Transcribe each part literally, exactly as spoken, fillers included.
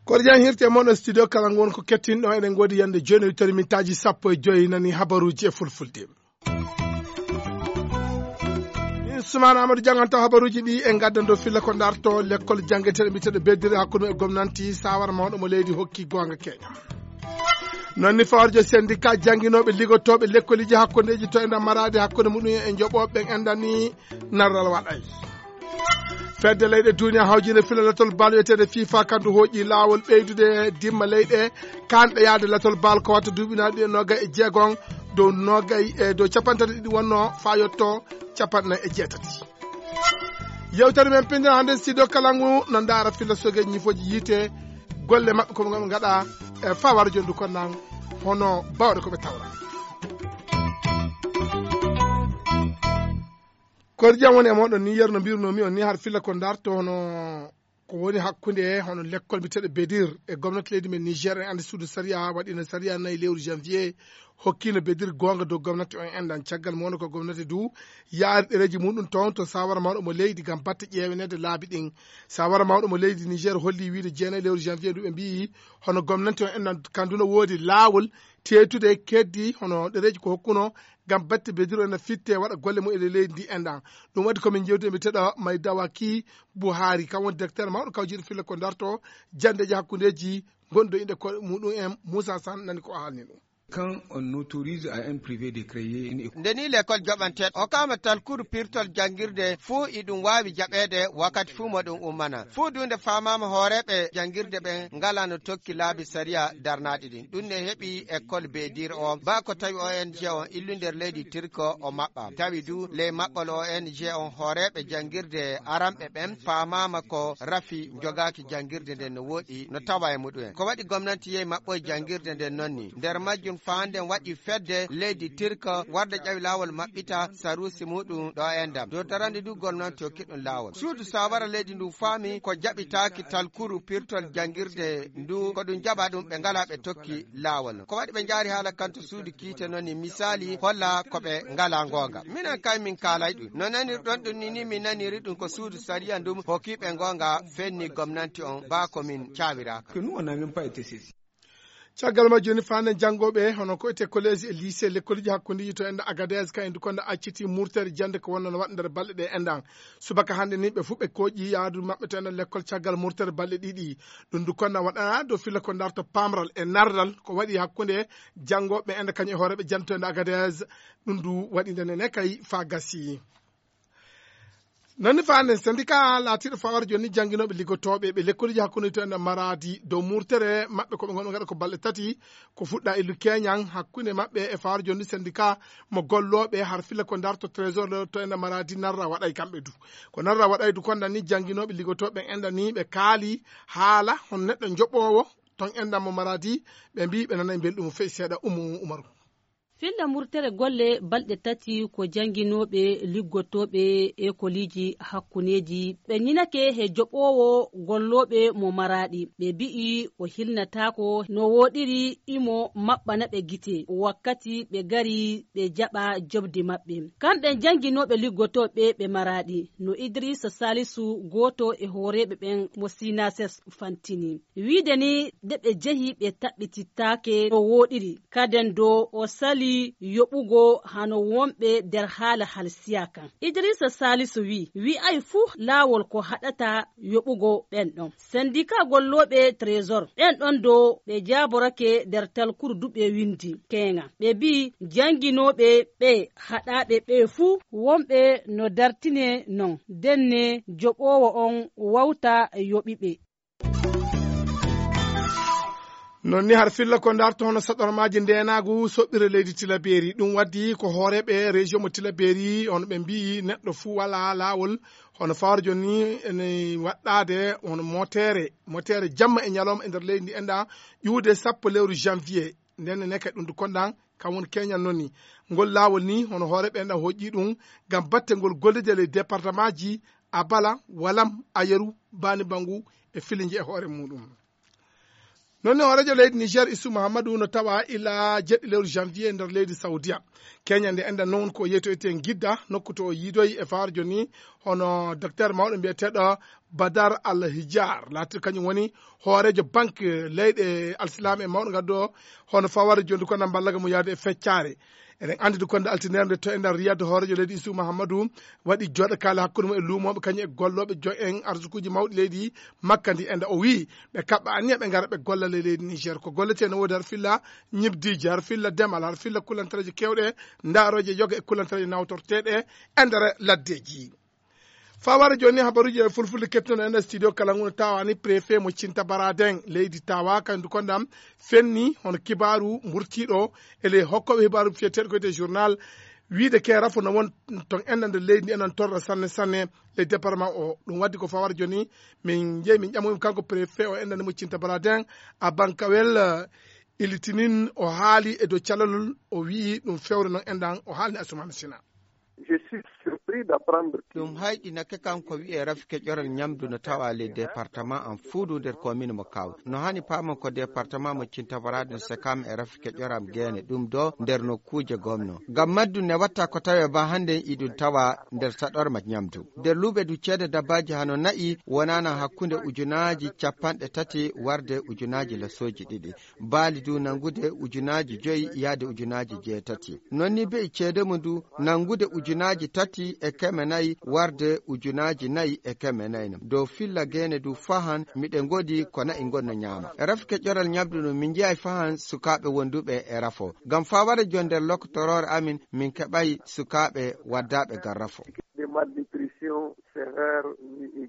Koɗo jam hirte mon e studio kala ngon ko kettinɗo eɗen godi yande joni wittori mintaaji sappo e joyi nani habaruji e fulfulde. Min Sumana Amadou janganto habaruji ɗi e gaddan dow filla ko darto lekkol jangeteɗe mbiteɗo beddiri hakkude e gomnanti sawara mawɗo mo leydi hokki gonga keña. Noon ni fawarjo syndicat jannginooɓe liggotooɓe lekkoliji hakkundeji to enda maraade hakkunde muɗum e joɓooɓe ɓen endani narral waɗay. Fedde leyɗe duniya hawjinde filalatol bal wiyeteede fifa kandu hooƴi laawol ɓeydude dimma leyɗe kanɗe yaade latol bal ko watta duuɓinaaɗi e nogay e jeegon dow nogay e dow capanɗe tati ɗiɗi wonno faa yotto capanɗe nayi e jeetati. Yewtere men pinndin hannde studio kalangu no ndaara filla soge ñifooji yiite golle maɓɓe ko ɓe ngaɗa e fawar jondu kon nan hono bawɗe ko ɓe tawra. Koɗo jam woni e moɗon ni yerno mbirnomi on ni har filla ko darto hono ko woni hakkunde hono lekkol mbiyeteɗo bedir e gomnati leydi men niger en andi suudu sariya waɗino sariya nayi lewru janvier hokkino bedir gonga dow gomnati on endan caggal mo wonno ko gomnati du yaari ɗereji muɗum toon to sawara mawɗo mo leydi gam batte ƴeewenede laabi ɗin. Sawara mawɗo mo leydi niger holli wiide jeenayi lewru janvier du ɓe mbiyi hono gomnati on endan kandu no woodi laawol teetude keddi hono ɗereji ko hokkuno gam batte bediro ena fitte waɗa golle mum e leydi ndi enɗan. Ɗum waɗi komin jewti e mbiyeteɗo may dawaki buhari kam woni directeur mawɗo kawjiɗo filla ko darto jandeji hakkundeji gonɗo inde ko muɗum en moussa san nani ko haalni ɗum. Quand on autorise à un privé de créer une école. Nde ni l'école joɓanteɗo hokkama talkuru pirtol jangirde fuu iɗum waawi jaɓeede wakkati fuu mo ɗum ummana fuu du nde faamaama hooreeɓe jangirde ɓen ngalano tokki laabi sariya darnaaɗi ɗin ɗum ne heɓi école bedir o baa ko tawi ong o illu nder leydi turko o maɓɓa tawi du ley maɓɓol ong o hooreeɓe jangirde aranɓe ɓen faamaama ko rafi jogaaki jangirde nden no wooɗi no tawa e muɗum en ko waɗi gomnanti yehi maɓɓoye jangirde nden nonni nder majjum faanden waɗi fedde leydi turko warde ƴawi laawol maɓɓita sarusi muɗum ɗo e ndam dow darande ndu gomnanti hokki ɗum laawol suudu sawara leydi ndu faami ko jaɓitaaki talkuru pirtol jangirde ndu ko ɗum jaɓa ɗum ɓe ngala ɓe tokki laawol no ko waɗi ɓe njaari haala kanto suudu kiite noon ni misali holla ko ɓe ngala ngonga minen kay min kaalay ɗum no nanirɗon ɗum ni ni min naniri ɗum ko suudu sariya ndum hokki ɓe ngonga fenni gomnanti on baa ko min cawiraka. Caggal majjum ni faanden janngooɓe hono ko etee collège e lycée lekkoliji hakkundeji to enda agadez ka endu konda acciti murtere jannde ko wonno no waɗa nder balɗe ɗe endan subaka hannde ni ɓe fuu ɓe kooƴi yaadu maɓɓe to enda lekkol caggal murtere balɗe ɗiɗi. Ɗum du konda waɗana dow filla ko darto pamral e nardal ko waɗi hakkunde janngooɓe enda kañum e hooreeɓe jannde to enda agadez. Ɗum du waɗi nde nene kay faa gasi. Nani faanden syndicat laatiiɗo fawar jonni jannginooɓe liggotooɓe ɓe lekkoliji hakkunde to enda maraadi dow murtere maɓɓe ko ɓe ngonno ngaɗa ko balɗe tati ko fuɗɗa illu keñan hakkunde maɓɓe e fawar jonni syndicat mo gollooɓe har filla ko darto trésor to enda maraadi narra waɗay kamɓe du ko narra waɗay du konda ni jannginooɓe liggotooɓe enda ni ɓe kaali haala hon neɗɗo joɓoowo ton endan mo maraadi ɓe mbi ɓe nanay mbelɗum feƴ seeɗa umu umaru. Filla murtere golle balɗe tati ko jannginooɓe liggotooɓe ekoliiji hakkuneeji ɓe ñinake he joɓoowo gollooɓe mo maraaɗi ɓe mbi'i o hilnataako no wooɗiri imo maɓɓana ɓe gite wakkati ɓe ngari ɓe jaɓa joɓdi maɓɓe. Kamɓe jannginooɓe liggotooɓe ɓe maraaɗi no idrisa salisu gooto e hooreeɓe ɓen mo sinases fantini. Wiide ni nde ɓe jehi ɓe taɓɓitittaake no wooɗiri kaden do o sali yoɓugo hano wonɓe nder haala halsiya kan idrisa salisu wi wi'ay fuu laawol ko haɗata yoɓugo ɓen ɗon sendika gollooɓe trésor ɓen ɗon do ɓe jaaborake nder talkuru du ɓe windi keŋa ɓe mbi jannginooɓe ɓe haɗaaɓe ɓe fuu wonɓe no dartine non denne joɓoowo on wawta yoɓiɓe. Non ni har filla ko darto hono saɗormaaji ndenaagu soɓɓire leydi tilaberi ɗum waddi ko hooreeɓe région mo tilaberi hono ɓe mbiyi neɗɗo fuu wala laawol hono fawar joni ene waɗɗaade hono moteere moteere jamma e ñalawma e nder leydi ndi enɗa ƴuwde sappo lewru janvier. Nden ne kadi ɗum du kondan kam woni keñal noon ni ngol laawol ni hono hooreeɓe enɗa hoƴƴi ɗum ngam batte ngol gollide ley département ji abala walam ayeru bani bangu e filinje e hoore muɗum. Noon ne hooreejo leydi Niger, Isu Mahamadou, no tawa ila jeɗɗi lewru janvier nder leydi Saudiya. Keñande enɗan noon ko yeytoyte ngidda nokku to o yiidoyi e fawarjo ni, hono docteur mawɗo mbiyeteeɗo Badar Al Hijar, laatiiɗo kañum woni hooreejo banque leyɗe alsilaame e mawɗo ngaddo hono fawarjo ndu ko nan mballaga mo yaade e feccaare. Eɗen anndi ndu konde altinere nde to e nder Riyad, hooreejo leydi Isu Mahamadou waɗi jooɗakaale hakkunde mum e luumooɓe kañum e gollooɓe jo en arsukuuji mawɗi leydi makka ndi. Enda o wii ɓe kaɓɓa anniya ɓe ngara ɓe gollale leydi Niger. Ko golletee no woodi har filla ñibdiiji, har filla demal, har filla kulantareeje keewɗe, ndaarooje yoga e kulantareeje nawtorteeɗe e nder laddeeji. Faware jooni habaruuji e fulfulde kettuno e nder studio kala ngu no tawa ni préfet mo Cinta Baraden leydi tawa kañum du kondam fenni hono kibaaru mburtiiɗo e ley hokkooɓe hibaaru fiyeteeɗo koyte journal wiide ke rafo no won ton enɗan nder leydi ndi enan torra sanne sanne ley département o. Ɗum waddi ko faware jooni min jeeyi min ƴamoyim kanko préfet o enɗan mo Cinta Baraden a bankawel ilitinin o haali e dow calalol o wi'i ɗum fewre noon enɗan o haalni Asumana Sina. Je suis surpris d'apprendre que ɗum hayɗinake kanko wi'e rafi keƴoral ñamdu no tawa ley département am fuudu nder commune mo kaw no hani paamon ko département mo cintabarade no sekam e rafi keƴoram geene ɗum do nder nokkuuje gomno ngam majjum ne watta ko tawe ba hannde iɗum tawa nder saɗorma ñamdu nder luuɓe du ceede dabbaji hano na'i wonana hakkunde ujunaji capanɗe tati warde ujunaji lasoji ɗiɗi baali du nangude ujunaaji joyi yaade ujunaaji jeetati. Non ni be'i ceede mum du nangude ujunaaji tati e keme nayi warde ujunaaji nayi e keme nayi nam. Dow filla geene du fahan miɗe ngoodi ko na'i ngon no ñaama. E rafike ƴoral ñamdu ɗum min nji'ay fahan sukaaɓe wonduɓe e rafo. Ngam faa wara jon nder lokotoroore amin min keɓay sukaaɓe waddaaɓe ngam rafo. De malnutrition sévère ni e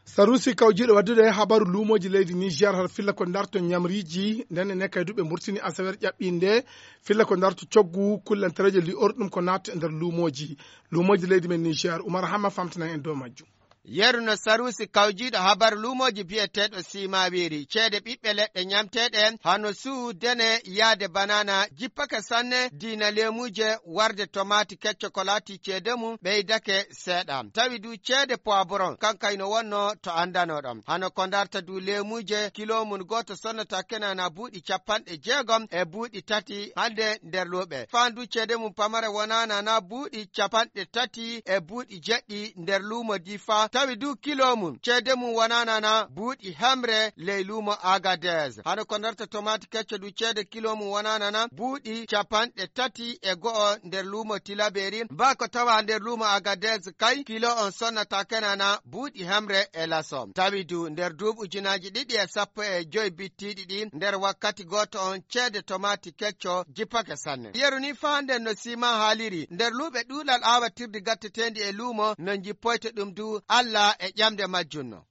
Sarusi kawjiiɗo waddude habaru luumooji leydi Niger har filla ko darto ñamriiji nden e nekkay duɓe murtini asawer ƴaɓɓinde filla ko darto coggu kullantareeje li'or ɗum ko natta e nder luumooji luumooji leydi men Niger. Umar Hamma famtinan en dow majjum. Yeru no sarusi kawjiiɗo habaru luumooji biyeteeɗo simawiiri ceede ɓiɓɓe leɗɗe ñamteeɗe hano suu dene yaade banana jippake sanne diina leemuuje warde tomaati kecco ko laati ceede mum ɓeydake seeɗa tawi du ceede poivron kankay no wonno to anndanoɗon hano ko darta du leemuuje kilo mum gooto sonnata kenana buuɗi capanɗe jeegom e buuɗi tati hannde nder luuɓe faan du ceede mum pamare wonana na buuɗi capanɗe tati e buuɗi jeɗɗi nder luumo difa tawi du kilo mum ceede mum wonana na buuɗi hemre ley luumo agades hano ko darta tomaati kecco du ceede kilo mum wonana na buuɗi capanɗe tati e go'o nder luumo tilaberi mbaa ko tawa nder luumo agades kay kilo on sonnata kenana buuɗi hemre e laso tawi du nder duuɓi ujunaaji ɗiɗi e sappo e joyi bittiiɗi ɗi nder wakkati gooto on ceede tomaati kecco jippake sanne yeru ni faa nden no sima haaliri nder luuɓe ɗuuɗal aawatirdi gatteteendi e luumo no jippoyta ɗum du allah e ƴamde majjum no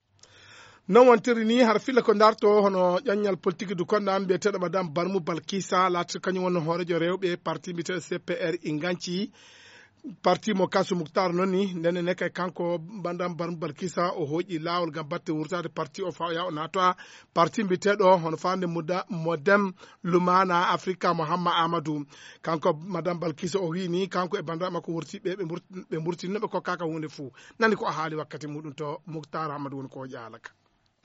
non wontiri ni har filla ko darto hono ƴaññal politique du konɗa mbiyeteeɗo madame barmu balkisa laati kañum wonno hoorejo rewɓe parti mbiyeteeɗo cpr inganci parti mo kasu muktar noon ni nden ne kay kanko madame barmu balkisa o hooƴi laawol ngam batte wurtaade parti o fawa o naata parti mbiyeteeɗo hono faande modem lumana africa mohamma amadou kanko madame balkisa o wii ni kanko e banndiraaɓe makko wurtiiɓe ɓe mburtinno ɓe kokkaaka huunde fuu nani ko o haali wakkati muɗum to muktar amadou woni ko o ƴaalaka.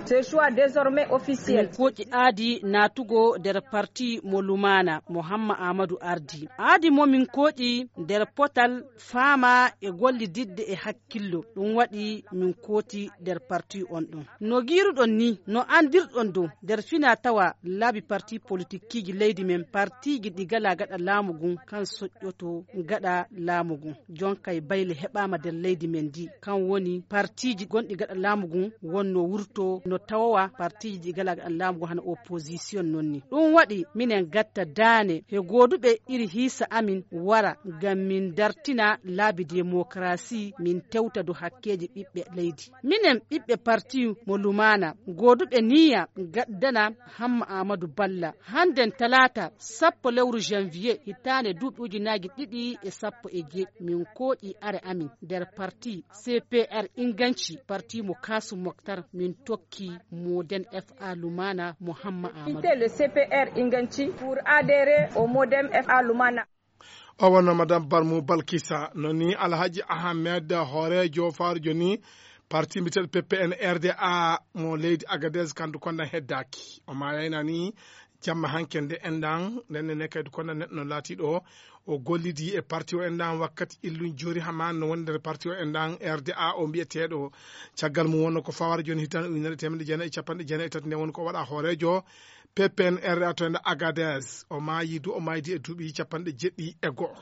Ce choix désormais officiel. Min kooƴi aadi naatugo nder parti mo lumaana mo hamma aamadu ardi aadi mo min kooƴi nder potal faama e gollididde e hakkillo ɗum waɗi min kooti nder parti on ɗum no giiruɗon ni no anndirɗon dow nder fina tawa laabi parti politikkiiji leydi men partiiji ɗi gala gaɗa laamu ngun kan soƴƴoto gaɗa laamu ngun jonkay bayle heɓaama nder leydi men ndi kan woni partiiji gonɗi gaɗa laamu ngun wonno wurto no tawowa partiiji ɗi gala gaɗa laamu ngun hano opposition non ni ɗum waɗi minen gatta daane he gooduɓe iri hiisa amin wara ngam min dartina laabi démocratie min tewta dow hakkeeji ɓiɓɓe leydi minen ɓiɓɓe parti mo lumaana gooduɓe niya gaddana hamma amadou balla hannden talaata sappo lewru janvier hitaande duuɓi ujunaaji ɗiɗi e sappo e jeeɗi min kooƴi are amin nder parti cpr inganci parti mo kasu moktar min tokki moden fa lumana mo hamma amadou. Le cpr inganci pour adhérer au modem fa lumana. O wonno madame barmu balkisa no ni alhaji ahmed hoorejo farjo ni Parti mbiyeteeɗo P P N R D A mo leydi Agadez, kandu konda heddaaki. O maayayna ni jamma hanke nde enɗan, nden ne kaydu konda neɗɗo no laatiiɗo o gollidi e parti o enɗan wakkati illun joori hama no woni nder parti o enɗan R D A o mbiyeteeɗo. Caggal mum wonno ko fawara jooni hitan ujunere e teemedde jeenayi e capanɗe jeenayi e tati nde woni ko waɗa hooreejo P P N R A to enda Agadez. O maayi du, o maaydi e duuɓi capanɗe jeɗɗi e go'o.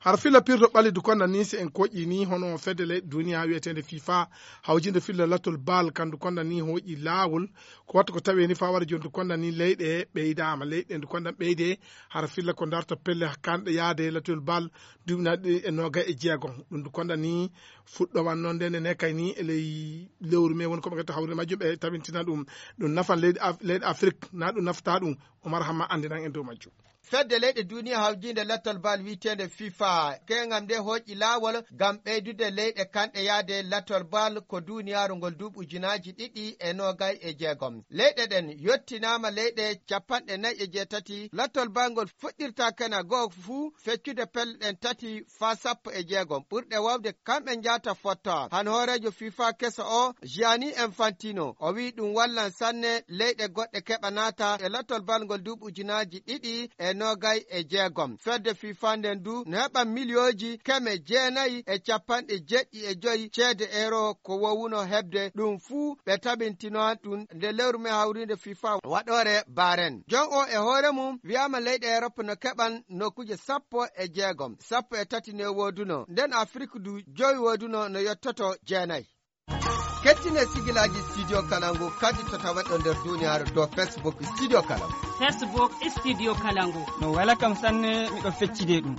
Har filla pirto ɓalli du konda ni, si en koƴƴi ni, hono fedde leyɗe duniya wiyeteende fifa, hawjinde filla lattol bal, kandu konda ni hooƴi laawol. Ko watta ko tawi ni fawara joni du konda ni leyɗe ɓeydaama, leyɗe ndu konda ɓeyde, har filla ko darta pelle kanɗe yaade lattol bal, duuɓi naɗi e noga e jeegom. Ɗum du konda ni fuɗɗo wan noon nde ne kay ni e ley lewru me woni ko ɓe getta hawri majjum, ɓe tabintina ɗum. Ɗum nafan leydi Af-, leydi Afrik, na ɗum nafta ɗum. Omar Hamma andinan en dow majjum. Fedde leyɗe duniya hawjinde lattol bal wiyeteende fifa, keŋam nde hooƴi laawol ngam ɓeydude leyɗe kanɗe yaade lattol bal ko duniyaaru ngol duuɓi ujunaaji ɗiɗi e noogay e jeegom. Leyɗe ɗen yottinaama leyɗe capanɗe nayi e jeetati. Lattol bal ngol fuɗɗirta kena goo fuu feccude pelle ɗen tati faa sappo e jeegom. Ɓurɗe wawde kamɓe njaata fotta. Han hooreejo fifa keso o, Gianni Infantino, o wi'i ɗum wallan sanne leyɗe goɗɗe keɓa naata e lattol bal ngol duuɓi ujunaaji ɗiɗi e noogay e jeegom. Fedde fifa nden du no heɓa miliyooji keme jeenayi e capanɗe jeɗɗi e joyi ceede euro ko wowuno heɓde. Ɗum fuu ɓe tabintino ɗum nde lewru me hawriinde fifa waɗoore Bahrain. Jon o e hoore mum wi'aama leyɗe Europe no keɓan nokkuuje sappo e jeegom, sappo e tati ne wooduno. Nden Afrik du jowi wooduno no yottoto jeenayi. Kettine sigilaaji Studio Kalangu kadi to taweɗo nder duniyaaru dow Facebook Studio Kalangu. Facebook Studio Kalangu. No wela kam sanne, miɗo feccide ɗum.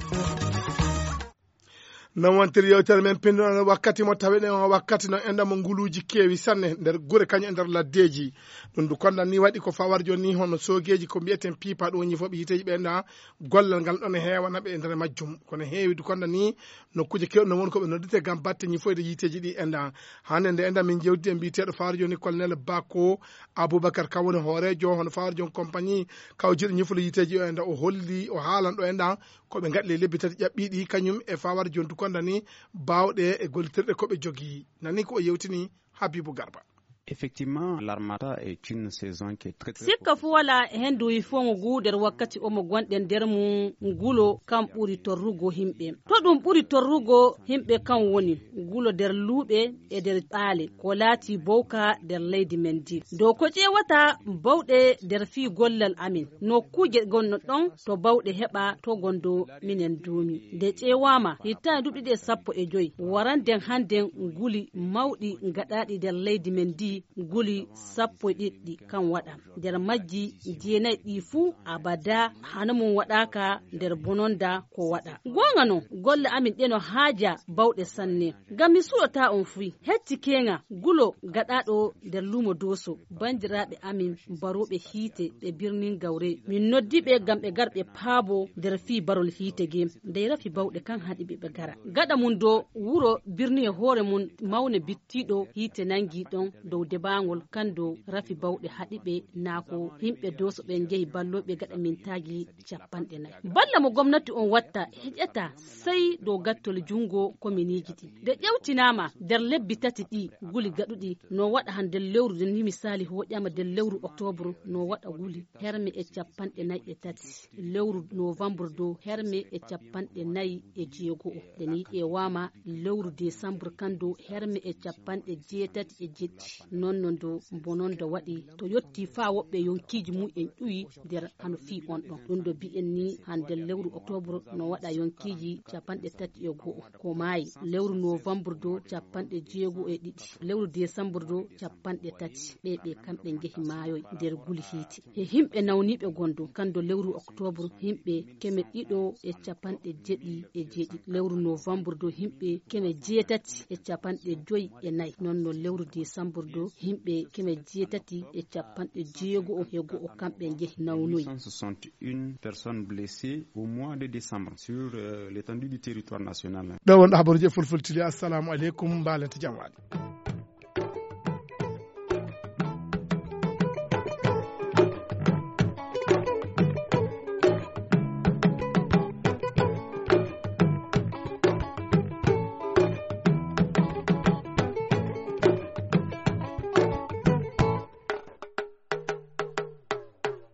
Non wontiri yewtere men pinndunɗo wakkati mo taweɗen o wakkati no enɗa mo nguluuji keewi sanne nder gure kañum e nder laddeeji. Ɗum du konda ni waɗi ko fawar jooni ni hono soogeeji ko mbi'eten piipa ɗum woni ñifooɓe yiiteeji ɓe enɗa gollal ngal ɗon e heewana ɓe e nder majjum. Kono heewi du konda ni nokkuuje keewɗe no woni ko ɓe noddete ngam batte ñifoyde yiiteeji ɗi enɗa. Hannde nde enɗa min jewtidi e mbiyeteeɗo fawar jooni colonel Bako Aboubacar, kam woni hooreejo hono fawar jooni compagnie kawjiiɗo ñifol yiiteeji o enɗa. O holli, o haalan ɗo enɗa ko ɓe ngaɗi ley lebbi tati ƴaɓɓiiɗi, kañum e fawar jontu konda ni baawɗe e gollitirɗe ko ɓe jogii. Nani ko o yewtini Habibou Garba. Effectivement, l'armada est une saison qui est très, très... Sikka fu wala hendu yifoŋo gu nder wakkati omo gonɗen nder mum ngulo kam ɓuri torrugo himɓe. To ɗum ɓuri torrugo himɓe kam woni ngulo nder luuɓe e nder ɓaale ko laati bowka nder leydi men ndi. Dow ko ƴeewata bawɗe nder fii gollal amin. Nokkuuje gonno ɗon to bawɗe heɓa to gondo minen duumi. Nde ƴeewaama, hittaande duuɓi ɗiɗi e sappo e joy, waranden hannden nguli mawɗi gaɗaaɗi nder leydi men ndi, nguli sappo e ɗiɗi kam waɗa. Nder majji jeenayi ɗi fuu abada hano mum waɗaaka nder bononda ko waɗa. Goonga non, golle amin ɗe no haaja bawɗe sanne. Ngam mi suɗotaa on fuu, hecci keeŋa gulo gaɗaaɗo nder luumo Dooso, banndiraaɓe amin barooɓe hiite ɓe birnin Gawre. Min noddi ɓe ngam ɓe gar ɓe paabo nder fii barol hiite ge. Ndey rafi bawɗe kan haɗi ɓe ɓe gara. Gaɗa mum do wuro birni e hoore mum mawne bittiiɗo hiite nangi ɗon dow debaangol kan do rafi bawɗe haɗi ɓe naa ko himɓe Dooso ɓen njehi ballooɓe gaɗa mintaaji capanɗe nayi. Balla mo gomnati on watta heƴata sey dow gattol junngo kominiiji ɗi. Nde ƴewtinaama nder lebbi tati ɗi guli gaɗuɗi no waɗa han nder lewru, nden ni misaali hoƴaama nder lewru oktobru no waɗa guli herme e capanɗe nayi e tati, lewru novembre dow herme e capanɗe nayi e jeego'o. Nde ni ƴeewaama lewru desambru kan dow herme e capanɗe jeetati e jeɗɗi. Non no ndo bononda waɗi to yotti faa woɓɓe yonkiiji mum en ƴuwi nder hano fii on ɗon. Ɗum ɗo mbi'en ni hande lewru oktobru no waɗa yonkiiji capanɗe tati e go'o ko maayi. Lewru novembre do capanɗe jeego e ɗiɗi. Lewru desambru do capanɗe tati. Ɓe ɓe kamɓe njehi maayoy nder guli hiite. He himɓe nawniiɓe gondo kando lewru oktobru himɓe keme ɗiɗo e capanɗe jeɗɗi e jeɗɗi. Lewru novembre do himɓe keme jeetati e capanɗe joyi e nayi. Non no lewru desambru do himɓe keme jeetati e capanɗe jeego e go'o kamɓe njehi nawnoyi. Cent soixante et une personnes blessées au mois de décembre sur, euh, l'étendue du territoire national. Ɗo wonɗo habaruji e fulfulde tili. Assalamu aleykum, mbalente jam waali.